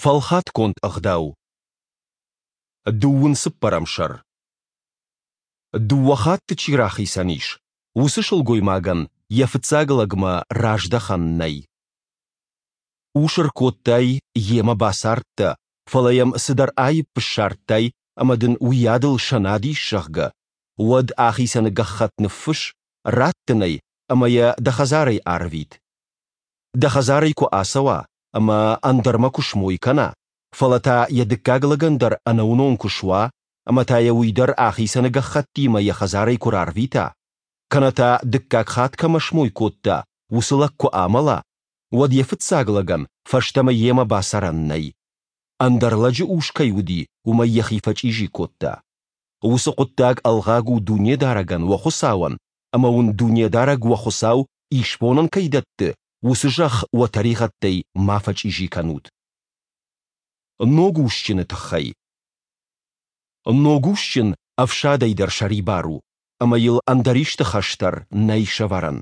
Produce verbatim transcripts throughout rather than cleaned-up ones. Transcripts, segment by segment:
Фӕлхатгонд ӕгъдау. Дыууын цыппӕрӕм сӕр. Дыууӕ хатты чи рахицӕн ис, уыцы сылгоймагӕн йӕ фыццаг лӕгмӕ раздӕхӕн нӕй. Ус ӕркодтай, йемӕ бацардтӕ, фӕлӕ йӕм цыдӕр аипп ссардтай ӕмӕ дын уыйадыл сӕнад ис, зӕгъгӕ, уӕд ахицӕны гӕххӕтт ныффысс, ратт ын ӕй ӕмӕ йӕ дӕ хӕдзарӕй арвит. Дӕ хӕдзарӕй куы ацӕуа ӕмӕ ӕндӕрмӕ куы смой кӕна, фӕлӕ та йӕ дыккаг лӕгӕн дӕр ӕнӕуынон куы суа ӕмӕ та йӕ уый дӕр ахицӕны гӕххӕттимӕ йӕ хӕдзарӕй куы рарвита, кӕнӕ та дыккаг хатт кӕмӕ смой кодта, уыцы лӕг куы амӕла, уӕд йӕ фыццаг лӕгӕн фӕстӕмӕ йемӕ бацӕрӕн нӕй. Ӕндӕр лӕджы ус кӕй уыди, уымӕй йӕхи фӕчъизи кодта. Уыцы хъуыддаг ӕлгъаг у Дунедарӕгӕн, уӕ Хуыцауӕн, ӕмӕ уын Дунедарӕг уӕ Хуыцау исбонӕн кӕй дӕтты, уыцы зӕхх уӕ тӕригъӕдтӕй ма фӕчъизи кӕнут. Ног усджыны тыххӕй. Ног усджын ӕфсадӕй дӕр сӕрибар у, ӕмӕ йыл ӕндӕр исты хӕс дӕр нӕй сӕвӕрӕн.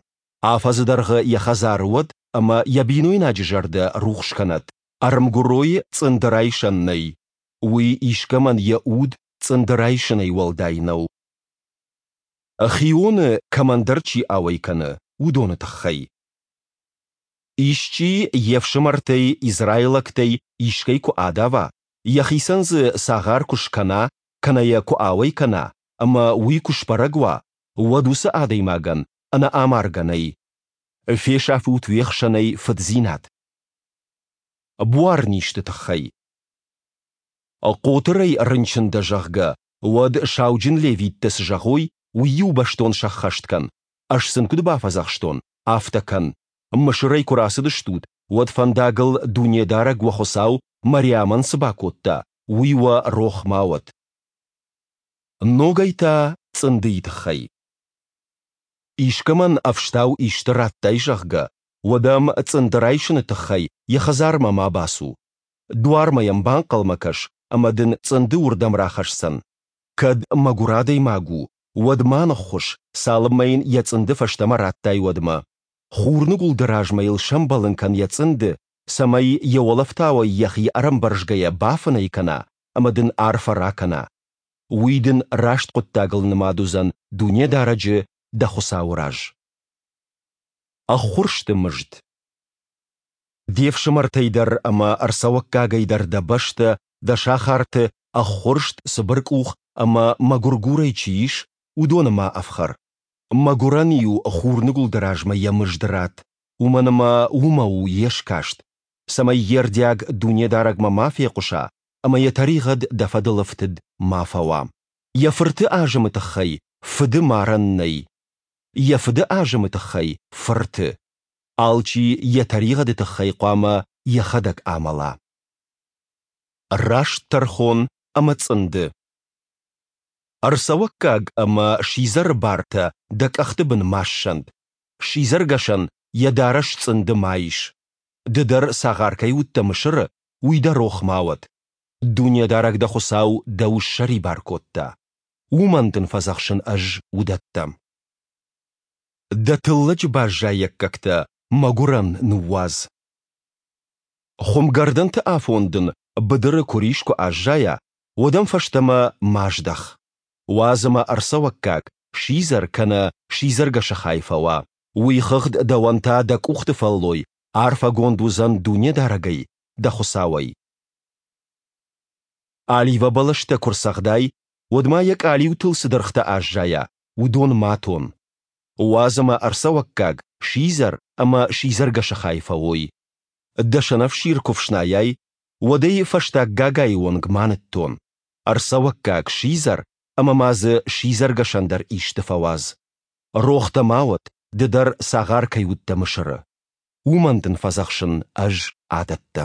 Афӕдзы дӕргъы йӕ хӕдзары уӕд ӕмӕ йӕ бинойнаджы зӕрдӕ рухс кӕнӕд. Ӕрмгуыройы цъынды райсӕн нӕй. Уый искӕмӕн йӕ уд цъынды райсынӕй уӕлдай нӕу. Хионы кӕмӕндӕр чи ауӕй кӕны, уыдоны тыххӕй. Исчи йе фсымӕртӕй, израилӕгтӕй, искӕй куы адава, йӕхицӕн дзы цагъар куы скӕна кӕнӕ йӕ куы ауӕй кӕна, ӕмӕ уый куы сбӕрӕг уа, уӕд уыцы адӕймагӕн ӕнӕ амаргӕ нӕй. Фесафут уе хсӕнӕй фыддзинад. Буарнизты тыххӕй. Хъотырӕй рынчын дӕ, зӕгъгӕ, уӕд сауджын левиттӕ цы зӕгъой, уый-иу бӕстон сӕххӕст кӕн, ӕз сын куыд бафӕдзӕхстон, афтӕ кӕн. Мысырӕй куы рацыдыстут, уӕд фӕндагыл Дунедарӕг уӕ Хуыцау Мариамӕн цы бакодта, уый уӕ рох ма уӕд. Ногӕй та цъындыйы тыххӕй. Искӕмӕн ӕфстау исты радтай, зӕгъгӕ, уӕд ӕм цъынды райсыны тыххӕй йӕ хӕдзармӕ ма бацу. Дуармӕ йӕм банхъӕлмӕ кӕс, ӕмӕ дын цъынды уырдӕм рахӕсдзӕн. Кӕд мӕгуыр адӕймаг у, уӕд ма ныххуыс, цалынмӕ йын йӕ цъынды фӕстӕмӕ радтай, уӕдмӕ. Хурныгуылды размӕ йыл сӕмбӕлын кӕн йӕ цъынды, цӕмӕй йӕ уӕлӕфтауӕй йӕхи ӕрӕмбӕрзгӕйӕ бафынӕй кӕна ӕмӕ дын арфӕ ракӕна. Уый дын раст хъуыддагыл нымад уыдзӕн Дунедарӕджы, дӕ Хуыцауы раз. Ӕххуырсты мызд. Де фсымӕртӕй дӕр ӕмӕ ӕрцӕуӕггагӕй дӕр дӕ бӕстӕ, дӕ сахарты ӕххуырст цыбыркъух ӕмӕ мӕгуыргурӕй чи ис, уыдоны ма ӕфхӕр. Мӕгуырӕн-иу хурныгуылды размӕ йӕ мызд ратт, уымӕн ӕмӕ уымӕ у йе скаст, цӕмӕй йе рдиаг Дунедарӕгмӕ ма фехъуыса ӕмӕ йӕ тӕригъӕд дӕ фӕдыл ӕфтыд ма фӕуа. Йӕ фырты азымы тыххӕй фыды марӕн нӕй. Йӕ фыды азымы тыххӕй фырты. Алчи йӕ тӕригъӕды тыххӕй хъуамӕ йӕхӕдӕг амӕла. Раст тӕрхон ӕмӕ цъынды. Ӕрцӕуӕггаг ӕмӕ сидзӕры бартӕ дӕ къӕхты бын ма ссӕнд. Сидзӕргӕсӕн йӕ дарӕс цъынды ма ис. Ды дӕр цагъар кӕй уыдтӕ Мысыры, уый дӕ рох ма уӕд. Дунедарӕг дӕ Хуыцау дӕу ссӕрибар кодта. Уымӕн дын фӕдзӕхсын ӕз уыдӕттӕ. Дӕ тыллӕджы баззайӕггӕгтӕ мӕгуырӕн ныууадз. Хуымгӕрдӕнты афон дын быдыры куырис куы аззайа, уӕд ӕм фӕстӕмӕ ма здӕх. Уадз ӕмӕ ӕрцӕуӕггаг, сидзӕр кӕнӕ сидзӕргӕсы хай фӕуа. Уый хыгъд дӕуӕн та дӕ къухты фӕллой арфӕгонд уыдзӕн Дунедарӕгӕй, дӕ Хуыцауӕй. Оливӕ бӕлӕстӕ куы рцӕгъдай, уӕд ма йӕ къалиутыл цы дыргътӕ аззайа, уыдон ма тон. Уадз ӕмӕ ӕрцӕуӕггаг, сидзӕр ӕмӕ сидзӕргӕсы хай фӕуой. Дӕ сӕнӕфсир куы фснайай, уӕд ӕй фӕстаг гагайы онг ма ныттон. Ӕрцӕуӕггаг, сидзӕр ӕмӕ ма дзы сидзӕргӕсӕн дӕр исты фӕуадз. Рох дӕ ма уӕд, ды дӕр цагъар кӕй уыдтӕ Мысыры. Уымӕн дын фӕдзӕхсын ӕз адӕттӕ.